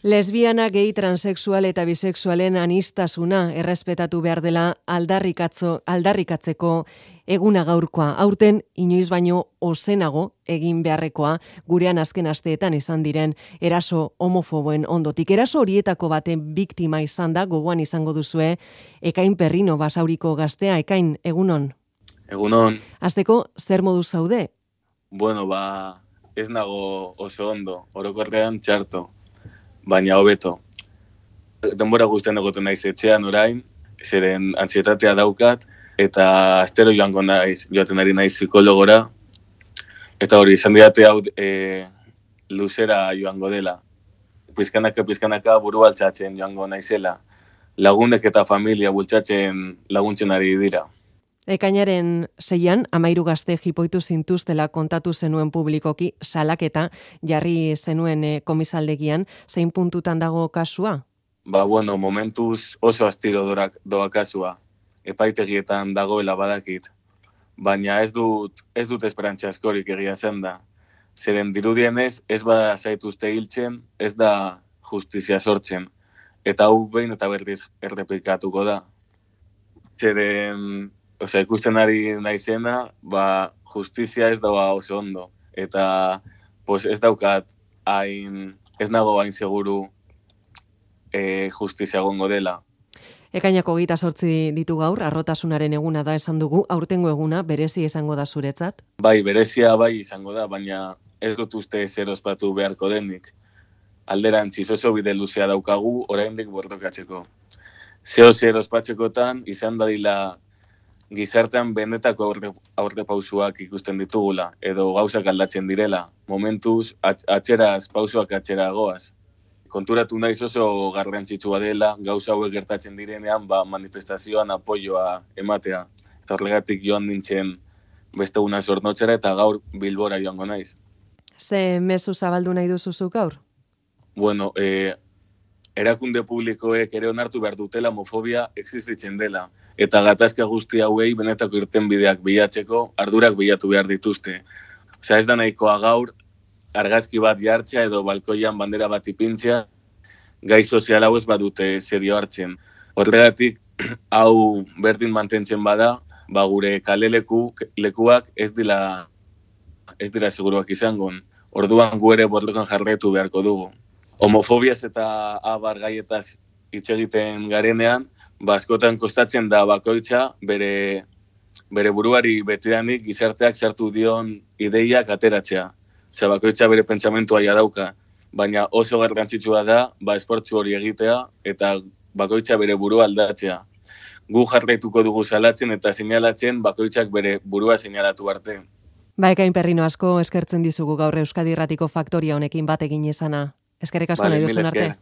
Lesbiana, gay, transexual eta bisexualen anistasuna errespetatu behar dela aldarrikatzeko eguna gaurkoa. Aurten inoiz baino ozenago egin beharrekoa gurean azken asteetan izan diren eraso homofoboen ondotik. Eraso horietako baten biktima izan da, gogoan izango duzue, Ekain Perrino Basauriko gaztea. Ekain, egunon? Egunon. Hasteko, zer modu zaude? Bueno, ez nago oso ondo, orokorrean txarto, baina hobeto. Denbora guztien egoten naiz etxean orain, zeren antsietatea daukat, eta astero joaten ari naiz psikologora, eta hori, izan didate hau luzera joango dela. Pizkanaka buru altxatzen joango naizela. Lagunek eta familia bultzatzen laguntzen ari dira. Ekainaren 6an, 13 gazte jipoitu zintuztela kontatu zenuen publikoki, salaketa jarri zenuen komisaldegian, zein puntutan dago kasua? Bueno, momentuz oso astiro doa kasua, epaitegietan dagoela badakit, baina ez dut esperantza askorik egia zen da. Zeren dirudienez, ez bada zaituzte hiltzen, ez da justizia sortzen, eta hau behin eta berriz errepikatuko da. Zeren ikusten ari naizena, justizia ez dagoa oso ondo. Eta ez nago hain seguru justizia gongo dela. Ekainako 28 ditu gaur, harrotasunaren eguna da esan dugu, aurtengo eguna berezi izango da zuretzat? Bai, berezia bai izango da, baina ez dut uste zer ospatu beharko denik. Alderantziz oso bide luzea daukagu, oraindik borrokatzeko. Zer ospatzekotan izan dadila gizartean benetako aurrepausuak ikusten ditugula, edo gauzak aldatzen direla. Momentuz, pausuak atxera goaz. Konturatu naiz oso garrantzitsua dela, gauza hauek gertatzen direnean, manifestazioan apoioa ematea. Eta horregatik joan nintzen beste una zornotzera eta gaur Bilbora joango naiz. Ze mezu zabaldu nahi duzuzuk gaur? Bueno, erakunde publikoek ere onartu behar dutela homofobia existitzen dela. Eta gatazka guzti hauei benetako irtenbideak bilatzeko ardurak bilatu behar dituzte. Ez da nahikoa gaur argazki bat jartzea edo balkoian bandera bat ipintzea, gai sozial hau ez badute serio hartzen. Horregatik, hau berdin mantentzen bada, gure kale lekuak ez dira seguruak izango. Orduan gu ere borrokan jarraitu beharko dugu. Homofobiaz eta abar gaietaz hitz egiten garenean, askotan kostatzen da bakoitza bere buruari betidanik gizarteak sartu dion ideiak ateratzea. Bakoitza bere pentsamentua dauka, baina oso garrantzitsua da esportzu hori egitea eta bakoitza bere burua aldatzea. Gu jarraituko dugu salatzen eta seinalatzen bakoitzak bere burua seinalatu arte. Ekain Perrino, asko eskertzen dizugu gaur Euskadi Irratiko Faktoria honekin bat egin izana. Eskerrik asko nahi duzun arte.